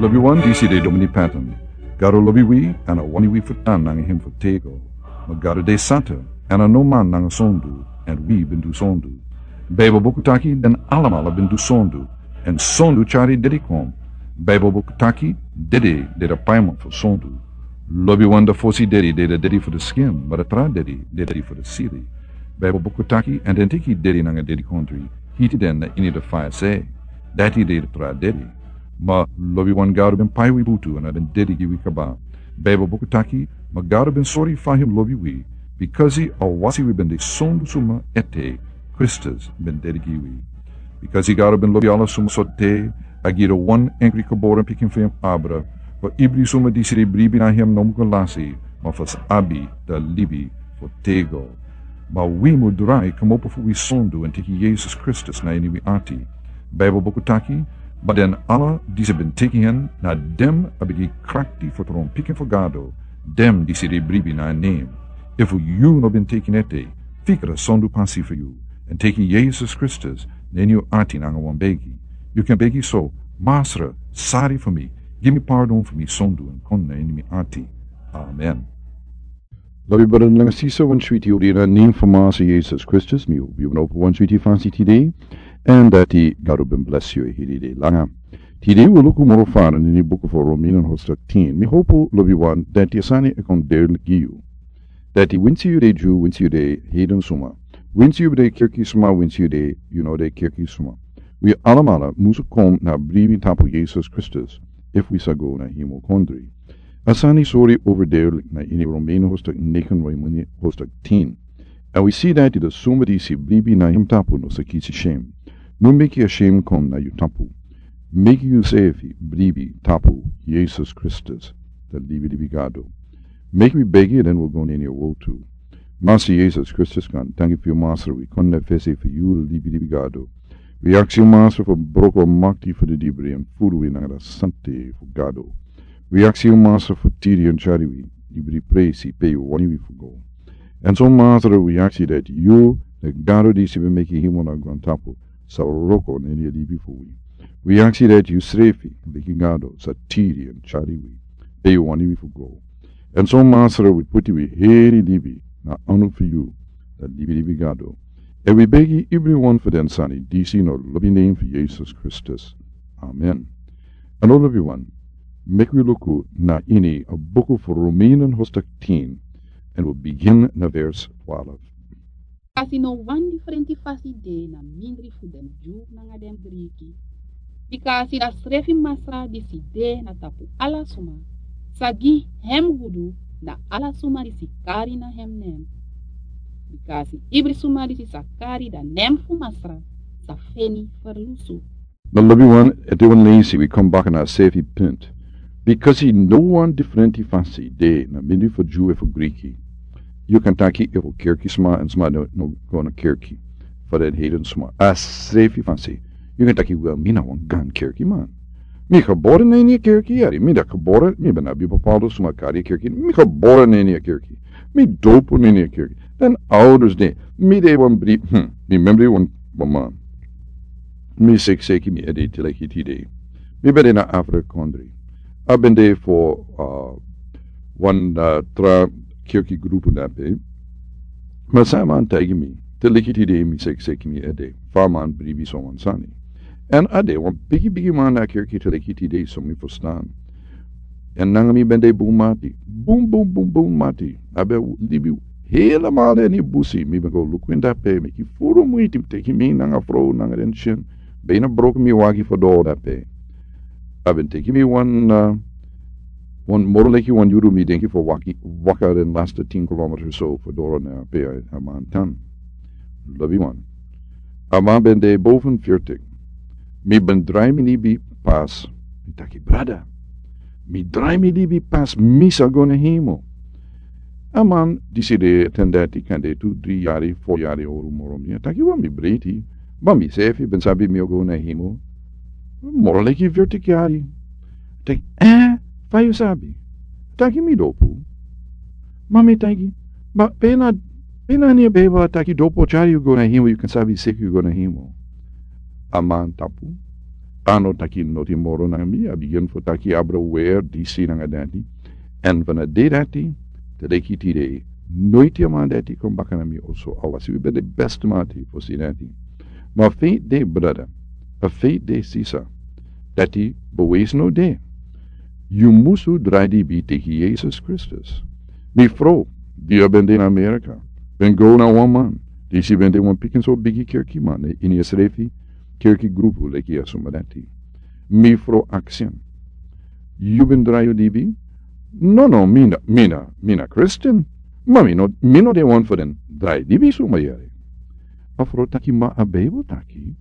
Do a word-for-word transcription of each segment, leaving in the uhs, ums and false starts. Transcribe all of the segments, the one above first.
Lobiwan, disi de Domini Patton. Gado lobi wi, èn a wani wi fu tan nanga en fu tego. Ma Gado de santa, èn a no man nanga sondu, èn wi ben du sondu. Baibel buku taki den alamala ben du sondu, èn sondu tyari dedi kon. Baibel buku taki dede de a paiman fu sondu. Lobiwan, a fosi dedi de a dedi fu a skin, ma a tra dedi de a dedi fu a sili. Baibel buku taki, èn den teki dedi nanga dedikondri, hiti den na ini a faya se. Dati de a tra dedi. Ma lobiwan, Gado ben pai wi butu èn a ben dedi gi wi kaba. Baibel buku taki, ma Gado ben sori fa a lobi wi, bikasi a wasi wi ben de sondu suma ete, Kristus ben dedi gi wi. Bikasi Gado ben lobi ala suma so te, a gi a wan enkri gebore pikin fu en abra, fu ibri suma disi e bribi na en no musu lasi, ma fu sa abi a libi fu tego. Ma wi mu drai komopo fu wi sondu èn teki Yesus Kristus na ini wi ati. Baibel buku taki, ma den ala disi ben teki en, na den a ben gi krakti fu tron pikin fu Gado, den disi e bribi na en nen. Efu yu no ben teki en ete, fika a sondu pasi fu yu, èn teki Yesus Kristus na ini yu ati nanga wan begi. Yu kan begi so: Masra, sori fu mi, gi mi pardon fu mi sondu èn kon na ini mi ati. Amen. Lobi brada nanga sisa, wan switi odi na nen fu Masra Yesus Kristus, mi hopu yu ben opo wan switi fasi tide, èn dati Gado ben bless yu e hiri dei langa. Tide wi luku moro fara na ini buku fu Romeini hoofdstuk tin. Mi hopu, lobiwan, dati a sani e kon duidelijk gi yu. Dati winsi yu de Dyu, winsi yu de heiden suma, winsi yu de kerki suma, winsi yu de, yu no de kerki suma, wi alamala musu kon na bribi tapu Yesus Kristus, efu wi sa go na hemel kondre. A sani sori overduidelijk na ini Romeini hoofdstuk negen, Romeini hoofdstuk tin. Èn wi si dati den suma disi bribi na en tapu no sa kisi syen. No meki a syen kon na yu tapu. Meki yusrefi bribi tapu Yesus Kristus, a libilibi Gado. Meki wi begi, den wi go na ini a wortu. Masra Yesus Kristus, kon, danki fu yu, Masra, wi kon na fesi fu yu, libilibi Gado. Wi aksi yu, Masra, fu broko a makti fu didibri èn furu wi nanga a sante fu Gado. Wi aksi yu, Masra, fu tiri èn tyari wi, ibri presi pe yu wani wi fu go. Èn so, Masra, wi aksi dati yu, a Gado disi ben meki hemel nanga grontapu, sa wroko na ini a libi fu wi. Wi aksi dati yusrefi, leki Gado, sa tiri èn tyari wi pe yu wani wi fu go. Èn so, Masra, wi poti wi heri libi na anu fu yu, a libilibi Gado. Èn wi begi ibri wan fu den sani disi na lobi nen fu Yesus Kristus. Amen. Èn lobiwan, meki wi luku na ini a buku fu Romeini hoofdstuk tin, èn wi bigin na vers twaalf. Bikasi no wan difrenti fasi de na mindri fu den Dyu nanga den Griki. Bikasi a srefi Masra disi de na tapu ala suma, sa gi hem gudu na ala suma disi kari na hem nen. Bikasi ibri suma disi sa kari a nen fu Masra sa feni ferlusu. Na lobiwan, ete wan leisi wi kon baka na a srefi punt. Bikasi no wan difrenti fasi de na mindri fu Dyu efu Griki. Yu kan taki efu kerki suma èn suma no, no go na kerki. Fu den heiden suma, a srefi fasi. Yu kan taki, wel, mi na wan gan kerki man. Mi gebore na ini a kerki, yari. Mi ben gebore, mi ben abi bepaalde suma kari a kerki. Mi gebore na ini a kerki. Mi dopu na ini a kerki. Den ouders de, mi de wan bri-, hm, mi memri wan, wan man. Mi seki seki mi ede te leki tide. Mi ben de na Afrika kondre. A ben de fu, uh, wan, uh, tra kerki grupu dape. Ma san a man taigi mi, te leki tide mi seki seki mi ede, fa a man bribi so wan sani. Èn a de wan bigi bigi man na kerki te leki tide, so mi ferstan. Èn nanga mi ben de bun mati. Bun, bun, bun, bun mati. A ben libi helemaal na ini busi. Mi ben go luku en dape, meki furu muiti, teki mi nanga frow nanga den syen. Bijna broko mi wagi fu doro dape. A ben teki mi wan, uh, wan moro leki wan yuru, mi denki, fu waki, waka den laatste tien kilometer so fu doro na pe a man tan. Lobiwan. A man ben de boven veertig. Mi ben drai mi libi pas. Mi taki, brada, mi drai mi libi pas, mi sa go na hemel. A man disi de ten dati, kande tu dri yari, fo yari owru moro mi. A taki, wel, mi breiti. Ma mi sefi ben sabi mi o go na hemel moro leki veertig yari. Taki, eh, fa yu sabi? Taki, mi dopu. Ma mi taki, ma pe na, pe na ini a Bijbel a taki dopu o tyari yu go na hemel, yu kan sabi seki yu go na hemel? A man tapu. A no taki noti moro nanga mi, a bigin fu taki abra wer disi nanga dati. Èn fu na dei dati te leki tide, noiti a man dati kon baka na mi oso. Awasi wi ben de besti mati fosi dati. Ma feit de brada, a feit de sisa, dati bewijs no de. Yu musu drai dibi teki Yesus Kristus. Mi frow, di a ben de na Amerika, ben go na wan man disi ben de wan pikin so bigi kerkiman ini a srefi kerki grupu leki a suma dati. Mi frow aksi en, yu ben drai yu dibi? No, no, mi na, mi na, mi na Kristin. Ma mi no, mi no de wan fu den drai dibi suma yere. A frow taki, ma a Bijbel taki,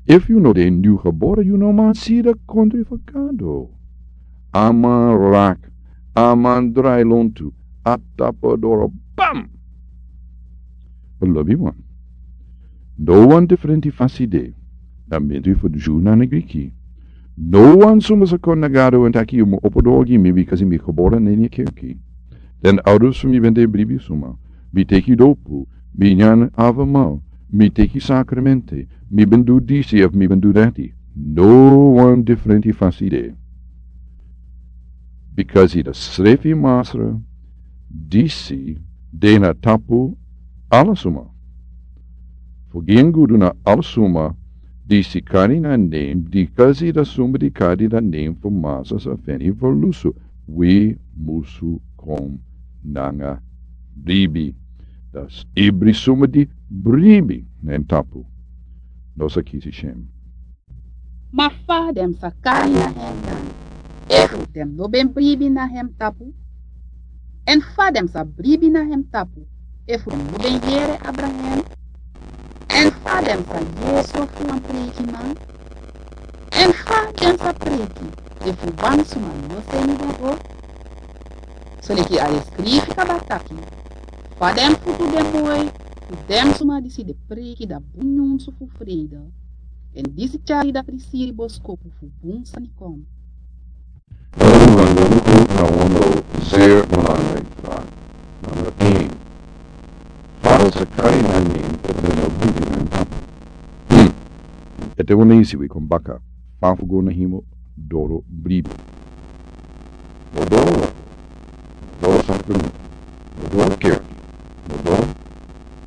efu yu no de niu gebore, yu no man si de kontri fu Gado. A man rak, a man drai lontu, a tapu doro, bam! Lobiwan, no wan difrenti fasi de, dan ben tu fu Dyu nanga Griki. No wan suma sa kon na Gado èn taki yu mu opo doro gi mi, bikasi mi gebore na ini kerki. Den ouders fu mi ben de bribi suma. Mi teki dopu, mi nyan avamau, mi teki sakramenti, mi ben du disi of mi ben du dati. No wan difrenti fasi de. Bikasi da srefi Masra disi de na tapu ala suma. Fu gi en gudu na ala suma disi kari na nen, bikasi da suma di kari na nen fu Masra sa feni fu lusu. Wi musu kon nanga bribi. Da s-, ibri suma di bribi na en tapu no sa kisi syen. Ma fa den sa kari na hem dan, efu den no ben bribi na hem tapu? Èn fa den sa bribi na hem tapu, efu den no ben yere abra hem? Èn fa den sa yere so fu wan preikiman? Èn fa den sa preiki, efu wan suma no seni den go? Soleki a e skrifi kaba taki, fa den futu de moi fu den suma disi de preiki da bun nyunsu fu freide. Èn disi tyari da prisiri boskopu fu bun sani kon. Everyone, we look out na wan zeer belangrijk vraag. Nummer één. Fa den sa kari na nen efu den no bribi na en tapu? Hmm. Ete wan leisi wi kon baka. Fa fu go na hemel doro bribi. No doro watra, no doro sakramenti, no doro kerki, no doro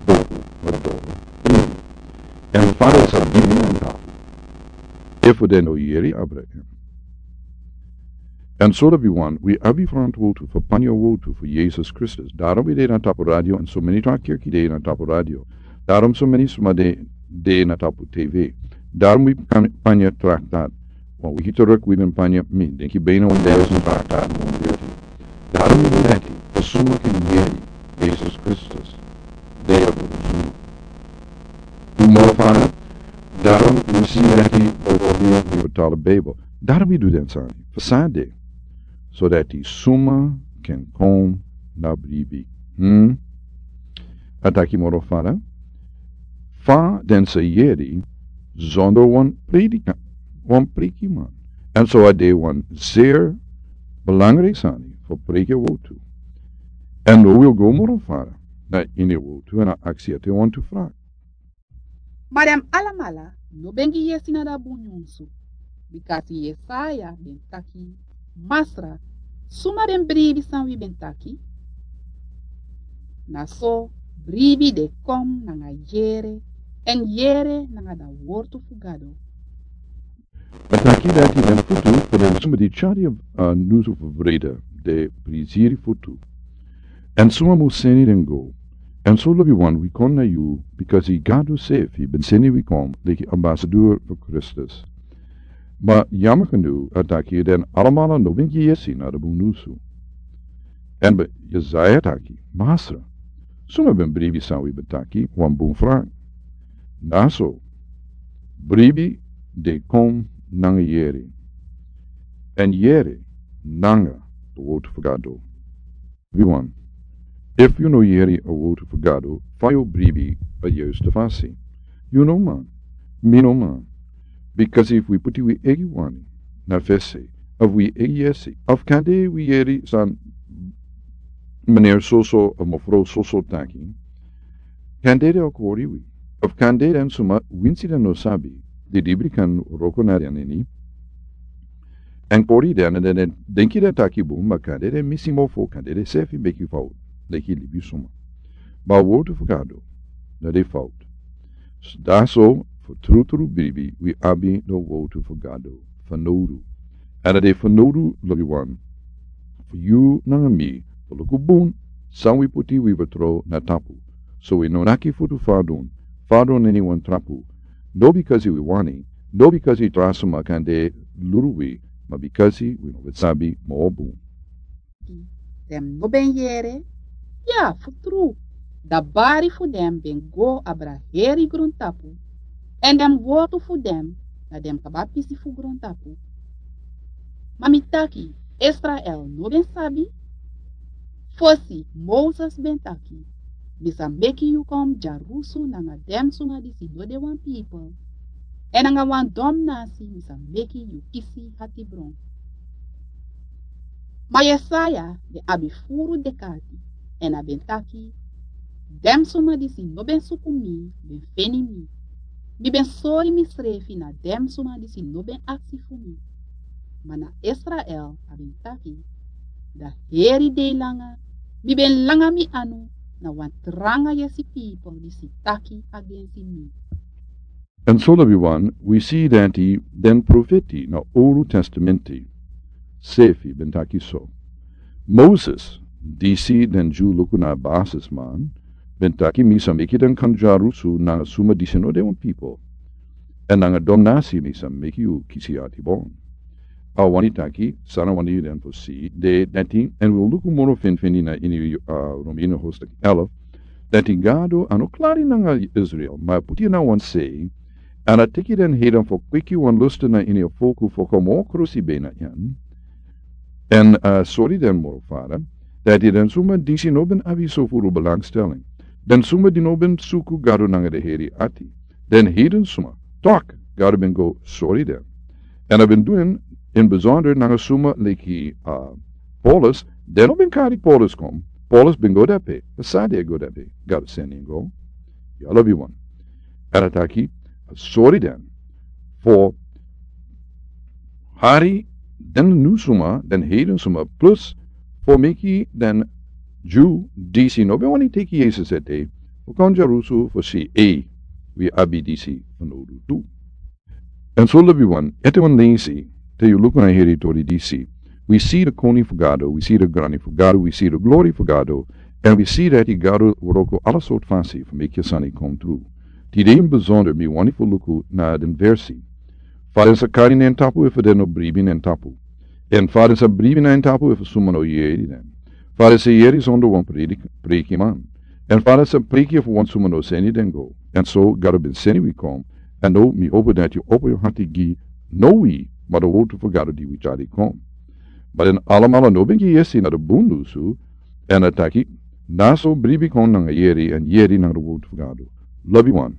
dopu, no doro bribi. Èn fa den sa bribi na en tapu efu den no yere abra en? Èn so lobiwan, wi abi frantwortu fu panya wortu fu Yesus Kristus. Daarom wi de na tapu radio, èn so meni tra kerki de na tapu radio. Daarom so meni suma de, de na tapu T V. Daarom wi kan panya traktat. Wan wiki teruk wi ben panya, mi denki, bijna wan duizend traktat wan wiki. Daarom wi ben taki, fu suma ken yere Yesus Kristus de a bun suma. Un moro fada, daarom un si dati bijvoorbeeld wi betalen Bijbel. Daarom wi du den sani. Fu san de? Sodati suma ken kon na bribi. Hmm? A taki moro fada, fa den sa yere zonder wan predika-, wan preikiman. Èn so a de wan zeer belangrijk sani fu preiki a wortu. Èn no wi o go moro fada na ini a wortu èn a aksi ete wantu vraag. Ma den alamala no ben gi yesi na da bun nyunsu, bikasi Yesaya ben taki, Masra, suma ben bribi san wi ben taki? Na so bribi de kon nanga yere, èn yere nanga da wortu fu Gado. A taki dati den futu fu den suma di tyari a nyunsu fu vrede de prisiri futu. Èn suma mu seni den go. Èn so lobiwan, wi kon na yu, bikasi Gado sefi ben seni wi kon leki ambasador fu Kristus. Ma yama kande a taki den alamala no ben gi yesi na da bun nyunsu. Èn Yesaya taki, Masra, suma ben bribi san wi ben taki? Wan bun vraag. Na so, bribi de kon nanga yere. Èn yere nanga a wortu fu Gado. Lobiwan, efu yu no yere a wortu fu Gado, fa yu o bribi a yuiste fasi? Yu no man, mi no man. Bikasi efu wi puti wi eigi wani na fesi, of wi eigi yesi, of kande wi yere san meneer soso of mevrouw soso taki, kande den o kori wi. Of kande den suma winsi den no sabi, di dibri kan wroko na den ini, èn kori den, èn den, den denki den taki bun, ma kande den misi mofo, kande den srefi meki fowtu leki libisuma. Ma a wortu fu Gado no de fowtu. Dati so, fu trutru bribi wi abi a wortu fu Gado fanowdu. Èn a de fanowdu, lobiwan, fu yu nanga mi fu luku bun san wi poti wi vertrow na tapu, so wi no naki futu fadon, fadon neni wan trapu. No bikasi wi wani, no bikasi tra suma kan de luru wi, ma bikasi wi no ben sabi moro bun. Den no ben yere, ya, fu tru, dan bari fu den ben go abra heri grontapu, èn den wortu fu den na den kaba pisi fu grontapu. Ma mi taki, Israel no ben sabi? Fosi Moses ben taki: "Mi sa meki yu kon dyarusu nanga den suma disi no de wan pipel, èn nanga wan don nasi mi sa meki yu kisi hatibron." Ma Yesaya ben abi furu dek'ati, èn a ben taki: "Den suma disi no ben suku mi ben feni mi. Mi ben sori misrefi na den suma disi no ben aksi fu mi." Ma na Israel a ben taki: "Dan heri dei langa mi ben langa mi anu na wan tranga yesi pipel disi taki agensi mi." Èn so, lobiwan, wi si dati den profeti na Owru Testamenti srefi ben taki so. Moses, disi den Dyu luku na a basisman, ben taki: "Mi sa meki den kon dyarusu nanga suma disi no de wan pipel, èn nanga don nasi mi sa meki yu kisi hatibron." A wani taki san a wani den fu si de dati, èn wi o luku moro finfini na ini, a, Romeini hoofdstuk elf, dati Gado a no klari nanga Israel, ma a poti en na wan sei, èn a teki den heiden fu kweki wan lustu na ini a folku fu kon moro krosi ben na en. Èn, a, sori den moro fara, dati den suma disi no ben abi so furu belangstelling, den suma di no ben suku Gado nanga den heri ati, den heiden suma, tok, Gado ben go sori den. Èn a ben du en in besonder nanga suma leki, a, Paulus. Den no ben kari Paulus kon. Paulus ben go dape. San a de go dape? Gado seni en go. Ya, lobiwan. Èn a taki, a sori den fu hari den nyun suma, den heiden suma, plus fu meki den Dyu disi no ben wani teki Yesus ete, fu kon dyarusu fu si, ei, wi abi disi fanowdu tu. Èn so, lobiwan, ete wan leisi, te yu luku na heri tori disi, wi si den koning fu Gado, wi si den grani fu Gado, wi si den glori fu Gado, èn wi si dati Gado wroko ala sortu fasi fu meki a sani kon tru. Tide in besonder mi wani fu luku na den versi. Fa den sa kari na en tapu efu den no bribi na en tapu? Èn fa den sa bribi na en tapu efu suma no yere den? Fa den sa yere sonder wan predik-, prekiman? Èn fa den sa preki efu wan suma no seni den go? Èn so Gado ben seni wi kon. Èn now mi hopo dati yu opo yu ati gi, no wi, ma den wortu fu Gado di wi tyari kon. Ma den alamala no ben gi yesi na den bun nyunsu, èn a taki, na so bribi kon nanga yere, èn yere nanga den wortu fu Gado. Lobiwan,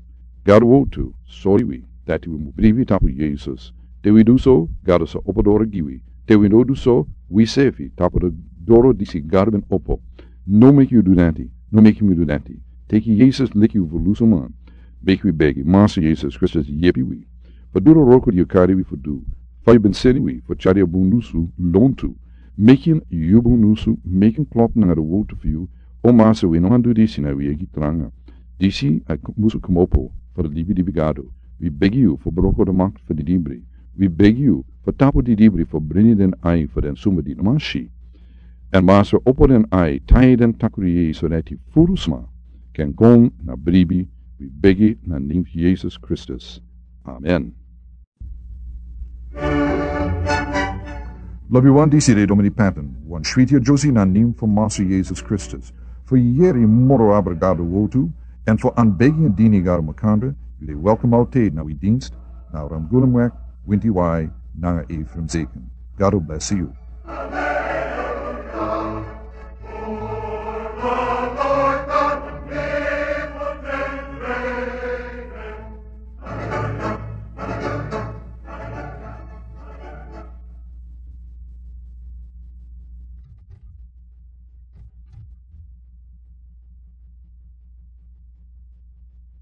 Gado wortu sori wi dati wi mu bribi tapu Yesus. Te wi du so, Gado sa opo doro gi wi. Te wi no du so, wi srefi tapu den doro disi Gado ben opo. No meki yu du dati, no meki mi du dati. Teki Yesus leki yu ferlusuman. Meki wi begi, Masa Yesus Kristus, yepi wi fu du den wroko di yu kari wi fu du. Fa yu ben seni wi fu tyari a bun nyunsu lontu, meki en yu bun nyunsu, meki en klop nanga den wortu fu yu. O Masa, wi no man du disi na wi eigi tranga. Disi a k-, musu kmopo fu den libi di wi Gado. Wi begi yu fu broko den makti fu den didibri. Wi begi yu fu tapu den didibri fu brini den ai fu den suma di no man si. Èn Masa, opo den ai, taigi den takru yeye, so dati furu sma kan kon na bribi. Wi begi na nen fu Yesus Kristus. Amen. Lobiwan, disi de Domini Patton, wan switi adyusi na nen fu Masa Yesus Kristus. Fu yere moro abra Gado wortu, èn fu anbegi èn dini Gado makandra, yu de welkom altijd na wi dienst, na Ramgulumweg, Winti Wai, nanga Ephraim Zeken. Gado blesi yu.